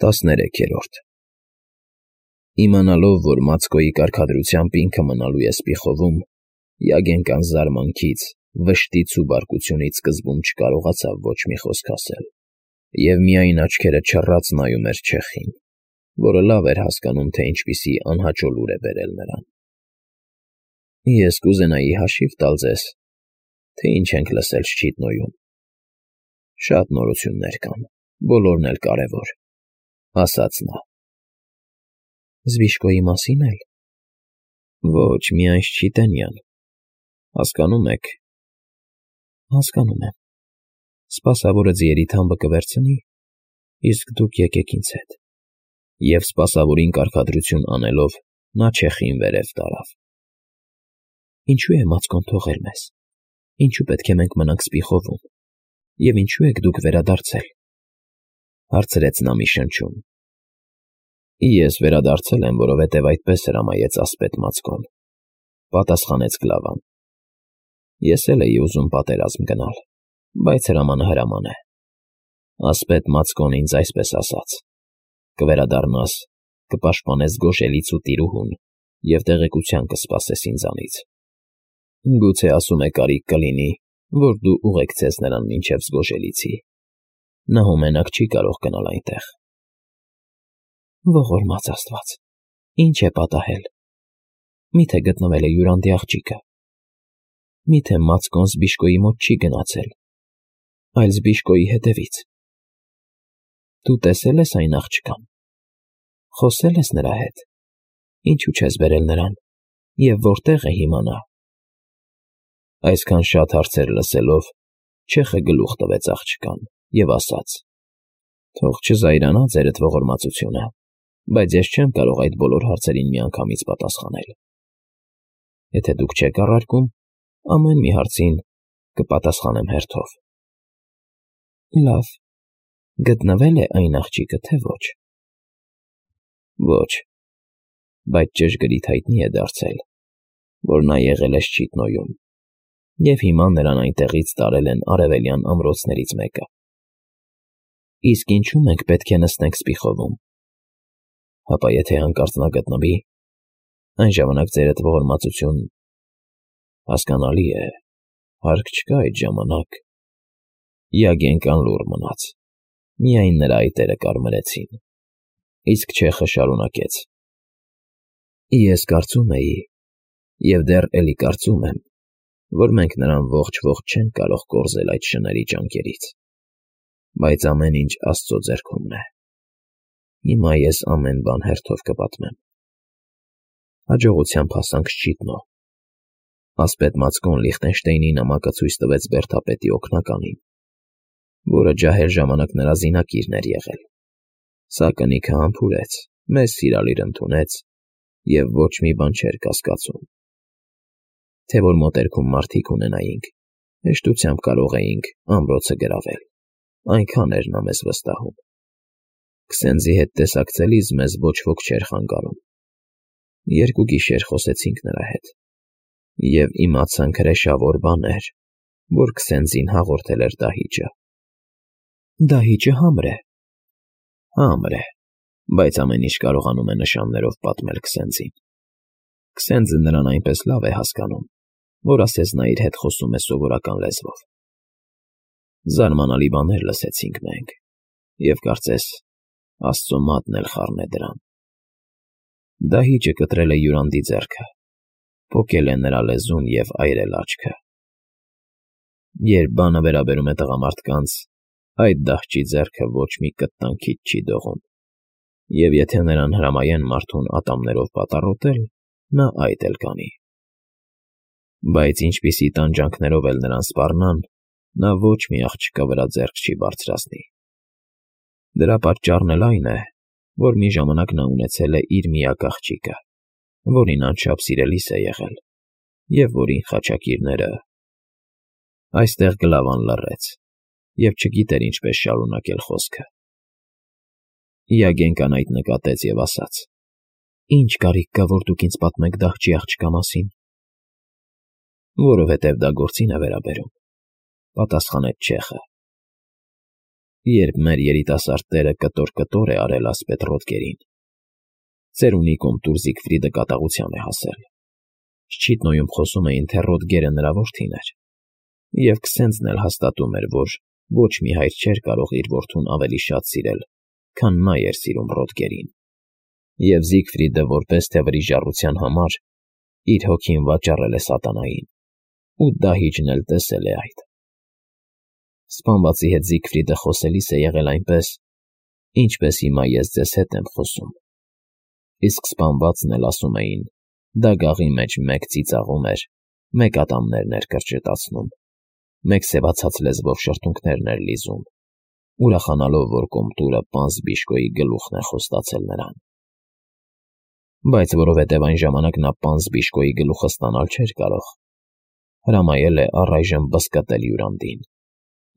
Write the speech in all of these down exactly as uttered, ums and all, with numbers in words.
տասներեքերորդ Իմանալով, որ Մացկոյի կարգադրությամբ ինքը մնալու է Սպիխովում, Յագենկան զարմանքից, վշտից ու բարկությունից սկզբում չկարողացավ ոչ մի խոսք ասել և միայն աչքերը չռած նայում էր չեխին, որը լավ էր հասկանում, թե ինչպիսի անհաճո լուր է բերել նրան։ ֊ Ես կուզենայի հաշիվ տալ ձեզ, թե ինչ ենք լսել Շչիտնոյում։ Շատ նորություններ կան, բոլորն էլ կարևոր, ֊ ասաց նա։ ֊ Զբիշկոյի մասի՞ն էլ։ ֊ Ոչ, միայն Շչիտենյան, հասկանո՞ւմ եք։ ֊ Հասկանում եմ։ Սպասավորը ձիերի թամբը կվերցնի, իսկ դուք եկեք ինձ հետ։ Եվ սպասավորին կարգադրություն անելով, նա չեխին վերև տարավ։ ֊ Ինչո՞ւ է Մացկոն թողել մեզ, ինչո՞ւ պետք է մենք մնանք Սպիխովում, և ինչո՞ւ եք դուք վերադարձել,֊ հարցրեց նա մի շնչում։ ֊ Ես վերադարձել եմ, որովհետև այդպես հրամայեց ասպետ Մացկոն,֊ պատասխանեց Կլավան։ ֊ Ես էլ էի ուզում պատերազմ գնալ, բայց հրամանը հրաման է։ Ասպետ Մացկոն ինձ այսպես ասաց. կվերադառնաս, կպաշտպանես Գոշելից ու տիրուհուն և տեղեկության կսպասես ինձանից։ Գուցե ասում է կարիք կլինի, որ դու ուղեկցես նրան մինչև Զգոշելիցի. նա հոմենակ չի կարող գնալ այնտեղ։ ֊ Ողորմած աստված, ի՞նչ է պատահել։ Մի՞թե գտնվել է Յուրանդի աղջիկը։ Մի՞թե Մացկոն Զբիշկոյի մոտ չի գնացել, այլ Զբիշկոյի հետևից։ Դու տեսե՞լ ես այն աղջկան, խոսե՞լ ես նրա հետ, ինչու չես բերել նրան և որտե՞ղ է հիմա նա։ Այսքան շատ հարցեր լսելով, չեխը գլուխ տվեց աղջկան և ասաց. «Թող չզայրանա ձերդ ողորմածությունը, բայց ես չեմ կարող այդ բոլոր հարցերին միանգամից պատասխանել։ Եթե դուք չեք առարկում, ամեն մի հարցին կպատասխանեմ հերթով»։ ֊ Լավ, գտնվե՞լ է այն աղջիկը, թե ոչ։ ֊ Ոչ, բայց ճշգրիտ հայտնի է դարձել, որ նա եղել է Շչիտնոյում, և հիմա նրան այնտեղից տարել են արևելյան ամրոցներից մեկը։ ֊ Իսկ ինչու՞ մենք պետք է նստենք Սպիխովում։ ֊ Հապա եթե հանկարծ նա գտնվի, այն ժամանակ ձերդ ողորմածություն… հասկանալի է, հարկ չկա այդ ժամանակ… Յագենկան լուռ մնաց, միայն նրա այտերը կարմրեցին, իսկ չեխը շարունակեց. ֊ Ես կարծում էի, և դեռ էլի կարծում եմ, որ մենք նրան ողջ֊ողջ չենք կարող կորզել այդ շների ճանկերից, բայց ամեն ինչ Աստծո ձեռքումն է։ Հիմա ես ամեն բան հերթով կպատմեմ։ Հաջողությամբ հասանք Շչիտնո։ Ասպետ Մացկոն Լիխտենշտեյնի նամակը ցույց տվեց բերդապետի օգնականին, որը ջահել ժամանակ նրա զինակիրն էր եղել։ Սա կնիքը համբուրեց, մեզ սիրալիր ընդունեց և ոչ մի բան չէր կասկածում։ Թե որ մոտերքում մարդիկ ունենայինք, հեշտությամբ կարող էինք ամրոցը գրավել, այնքան էր նա մեզ վստահում։ Քսենզի հետ տեսակցելիս մեզ ոչ ոք չէր խանգարում։ Երկու գիշեր խոսեցինք նրա հետ, և իմացանք հրեշավոր բաներ, որ Քսենզին հաղորդել էր դահիճը։ ֊ Դահիճը համր է։ ֊ Համր է, բայց ամեն ինչ կարողանում է նշաններով պատմել Քսենզին։ Քսենզը նրան այնպես լավ է հասկանում, որ ասես նա իր հետ խոսում է սովորական լեզվով։ Զարմանալի բաներ լսեցինք մենք, և կարծես Աստծո մատն էլ խառն է դրան։ Դահիճը կտրել է Յուրանդի ձեռքը, պոկել է նրա լեզուն և այրել աչքը։ Երբ բանը վերաբերում է տղամարդկանց, այդ դահճի ձեռքը ոչ մի կտտանքից չի դողում, և եթե նրան հրամայեն մարդուն ատամներով պատառոտել, նա այդ էլ կանի։ Բայց ինչպիսի տանջանքներով էլ նրան սպառնան, նա ոչ մի աղջկա վրա ձեռք չի բարձրացնի։ Դրա պատճառն էլ այն է, որ մի ժամանակ նա ունեցել է իր միակ աղջիկը, որին անչափ սիրելիս է եղել, և որին խաչակիրները… Այստեղ Գլավան լռեց և չգիտեր ինչպես շարունակել խոսքը։ Յագենկան այդ նկատեց և ասաց. ֊ Ի՞նչ կարիք կա, որ դուք ինձ պատմեք դահճի աղջկա մասին։ ֊ Որովհետև դա գործին է վերաբերում, ֊ պատասխանեց չեխը։ երբ մեր երիտասարդ տերը կտոր-կտոր է արել ասպետ Ռոդգերին։ Ծերունի կոմտուր Զիգֆրիդը կատաղության է հասել։ Շչիտնոյում խոսում էին, թե Ռոդգերը նրա որդին էր, և Քսենձն էլ հաստատում էր, որ ոչ մի հայր չէր կարող իր որդուն ավելի շատ սիրել, քան նա էր սիրում Ռոդգերին, և Զիգֆրիդը, որպես թե վրիժառության համար, իր հոգին վաճառել է սատանային, ու դահիճն էլ տեսել է այդ։ Սպանվածի հետ Զիգֆրիդը խոսելիս է եղել այնպես, ինչպես հիմա ես ձեզ հետ եմ խոսում, իսկ սպանվածն էլ, ասում էին, դագաղի մեջ մեկ ծիծաղում էր, մեկ ատամներն էր կրճտացնում, մեկ սևացած լեզվով շրթունքներն էր լիզում, ուրախանալով, որ կոմտուրը պանծ Բիշկոյի գլուխն է խոստացել նրան։ Բայց որովհետև այն ժամանակ նա պանծ Բիշկոյի գլուխը ստանալ չէր կարող, հրամայել է առայժմ բզկտել Յուրանդին,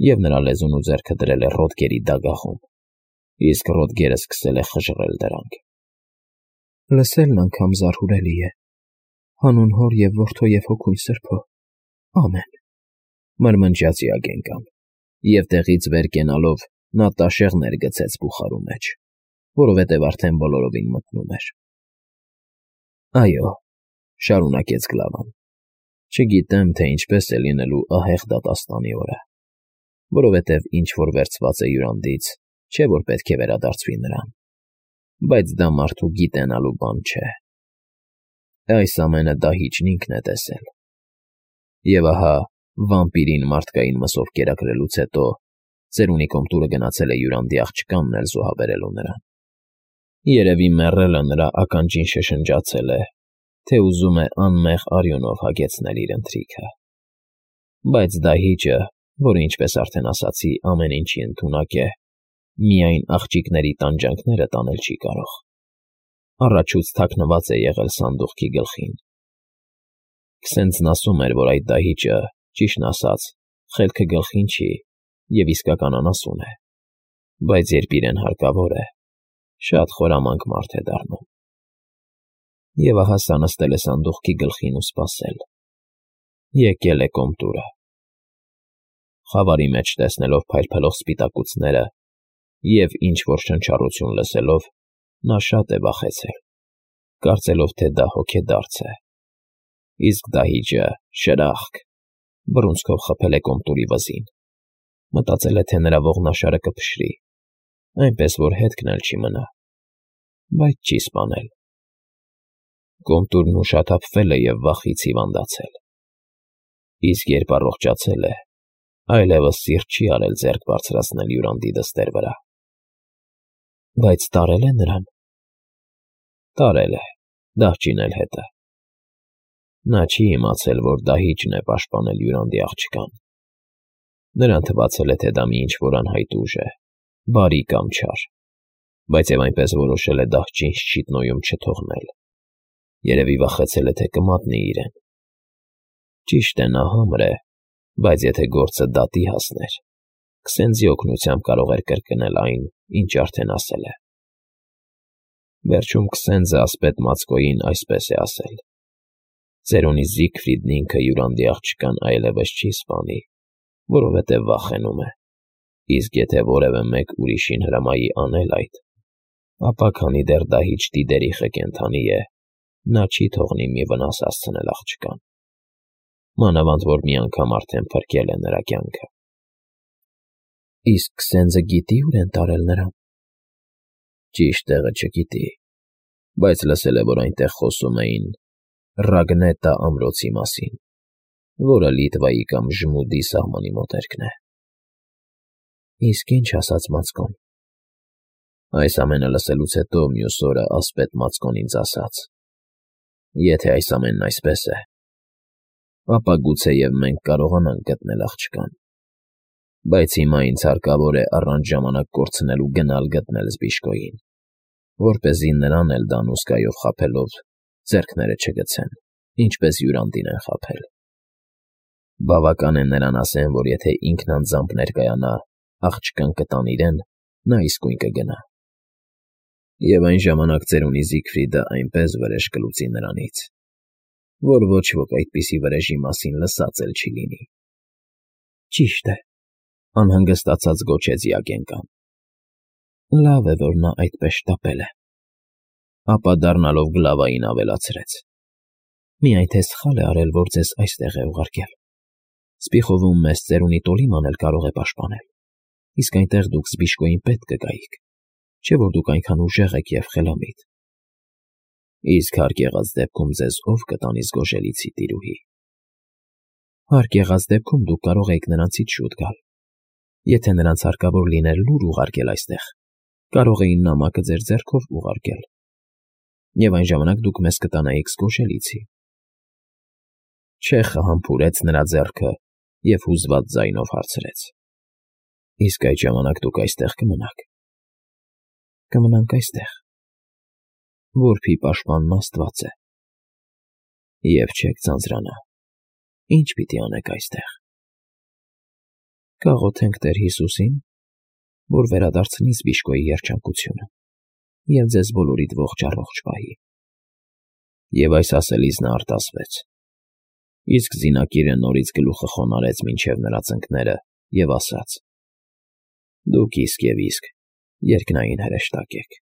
և նրա լեզուն ու ձեռքը դրել է Ռոդգերի դագաղում, իսկ Ռոդգերը սկսել է խժռել դրանք։ Լսելն անգամ զարհուրելի է, հանուն Հոր և Որդու և Հոգու Սրբո, ամեն, մրմնջաց Յագենկան, և տեղից վեր կենալով նա տաշեղներ գցեց բուխարու մեջ, որովհետև արդեն բոլորովին մթնում էր։ Այո, շարունակեց Գլավան, չգիտեմ, թե ինչպես է լինելու ահեղ դատաստանի օրը, որովհետև ինչ որ վերցված է Յուրանդից, չէ որ պետք է վերադարձվի նրան, բայց դա մարդու գիտենալու բան չէ։ Այս ամենը դահիճն ինքն է տեսել։ Եվ ահա, վամպիրին մարդկային մսով կերակրելուց հետո ծերունի կոմտուրը գնացել է Յուրանդի աղջկանն էլ զոհաբերելու նրան։ Երևի մեռելը նրա ականջին շշնջացել է, թե ուզում է անմեղ արյունով հագեցնել իր ընթրիքը։ Բայց դահիճը, որը, ինչպես արդեն ասացի, ամեն ինչի ընդունակ է, միայն աղջիկների տանջանքները տանել չի կարող։ Առաջուց թաքնված է եղել սանդուղքի գլխին։ Քսենձն ասում էր, որ այդ դահիճը, ճիշտն ասած, խելքը գլխին չի և իսկական անասուն է, բայց երբ իրեն հարկավոր է, շատ խորամանկ մարդ է դառնում։ Եվ ահա սա նստել է սանդուղքի գլխին ու սպասել։ Եկել է կոմտուրը։ Խավարի մեջ տեսնելով փայլփլող սպիտակուցները և ինչ-որ շնչառություն լսելով, նա շատ է վախեցել, կարծելով, թե դա հոգեդարձ է, իսկ դահիճը, շրախկ, բռունցքով խփել է կոմտուրի վզին, մտածել է, թե նրա ողնաշարը կփշրի, այնպես որ հետքն էլ չի մնա, բայց չի սպանել։ Կոմտուրն ուշաթափվել է և վախից հիվանդացել, իսկ երբ առողջացել է, այլևս սիրտ չի արել ձեռք բարձրացնել Յուրանդի դստեր վրա։ Բայց տարե՞լ է նրան։ Տարել է, դահճին էլ հետը։ Նա չի իմացել, որ դահիճն է պաշտպանել Յուրանդի աղջկան։ Նրան թվացել է, թե դա մի ինչ-որ անհայտ ուժ է, բարի կամ չար, բայց և այնպես որոշել է դահճին Շչիտնոյում չթողնել։ Երևի վախեցել է, թե կմատնի իրեն։ Ճիշտ է, նա համր է, բայց եթե գործը դատի հասներ, Քսենձի օգնությամբ կարող էր կրկնել այն, ինչ արդեն ասել է։ Վերջում Քսենձը ասպետ Մացկոյին այսպես է ասել. «Ծերունի Զիգֆրիդն ինքը Յուրանդի աղջկան այլևս չի սպանի, որովհետև վախենում է, իսկ եթե որևէ մեկ ուրիշին հրամայի անել այդ, ապա քանի դեռ դահիճ Տիդերիխը կենդանի է, նա չի թողնի մի վնաս հասցնել աղջկան, մանավանդ որ մի անգամ արդեն փրկել է նրա կյանքը»։ Իսկ Քսենձը գիտի՞ ուր են տարել նրան։ Ճիշտ տեղը չգիտի, բայց լսել է, որ այնտեղ խոսում էին Ռագնետա ամրոցի մասին, որը Լիտվայի կամ Ժմուդի սահմանի մոտերքն է։ Իսկ ի՞նչ ասաց Մացկոն։ Այս ամենը լսելուց հետո մյուս օրը ասպետ Մացկոն ինձ ասաց. «Եթե այս ամենն այսպես է, ապա գուցեև մենք կարողանանք գտնել աղջկան, բայց հիմա ինձ հարկավոր է առանց ժամանակ կորցնելու գնալ գտնել Զբիշկոյին, որպեսզի նրան էլ դանուսկայով խաբելով ձեռքները չգցեն, ինչպես Յուրանդին են խաբել։ Բավական է նրան ասեն, որ եթե ինքն անձամբ ներկայանա, աղջկան կտան իրեն, նա իսկույն կգնա։ Եվ այն ժամանակ ծերունի Զիգֆրիդը այնպես վրեժ կլուծի նրանից, որ ոչ ոք այդպիսի վրեժի մասին լսած էլ չի լինի»։ Ճիշտ է, Անհանգստացած գոչեց Յագենկան։ Լավ է, որ նա այդպես շտապել է։ Ապա դառնալով Գլավային ավելացրեց. Միայն թե սխալ է արել, որ ձեզ այստեղ է ուղարկել։ Սպիխովում մեզ ծերունի Տոլիման էլ կարող է պաշտպանել, իսկ այնտեղ դուք Զբիշկոյին պետք կգայիք, չէ՞ որ դուք այնքան ուժեղ եք և խելամիտ։ Իսկ հարկ եղած դեպքում ձեզ ով կտանի զգոժելիցի տիրուհի։ Հարկ եղած դեպքում դուք կարող էիք նրանցից շուտ գալ։ Եթե նրանց հարկավոր լիներ լուր ուղարկել այստեղ, կարող էին նամակը ձեր ձեռքով ուղարկել, և այն ժամանակ դուք մեզ կտանեիք զգոժելիցի։ Չեխը համբուրեց նրա ձեռքը և հուզված ձայնով հարցրեց. Իսկ այդ ժամանակ դուք այստեղ կմնաք։ Կմնանք այստեղ։ Որբի պաշտպանն Աստված է։ Եվ չեք ձանձրանա։ Ինչ պիտի անեք այստեղ։ Կաղոթենք Տեր Հիսուսին, որ վերադարձնի Զբիշկոյի երջանկությունը և ձեզ բոլորիդ ողջ֊առողջ պահի։ Եվ այս ասելիս նա արտասվեց։ Իսկ զինակիրը նորից գլուխը խոնարհեց մինչև նրա ծնկները և ասաց. Դուք իսկ և իսկ երկնային հրեշտակ եք։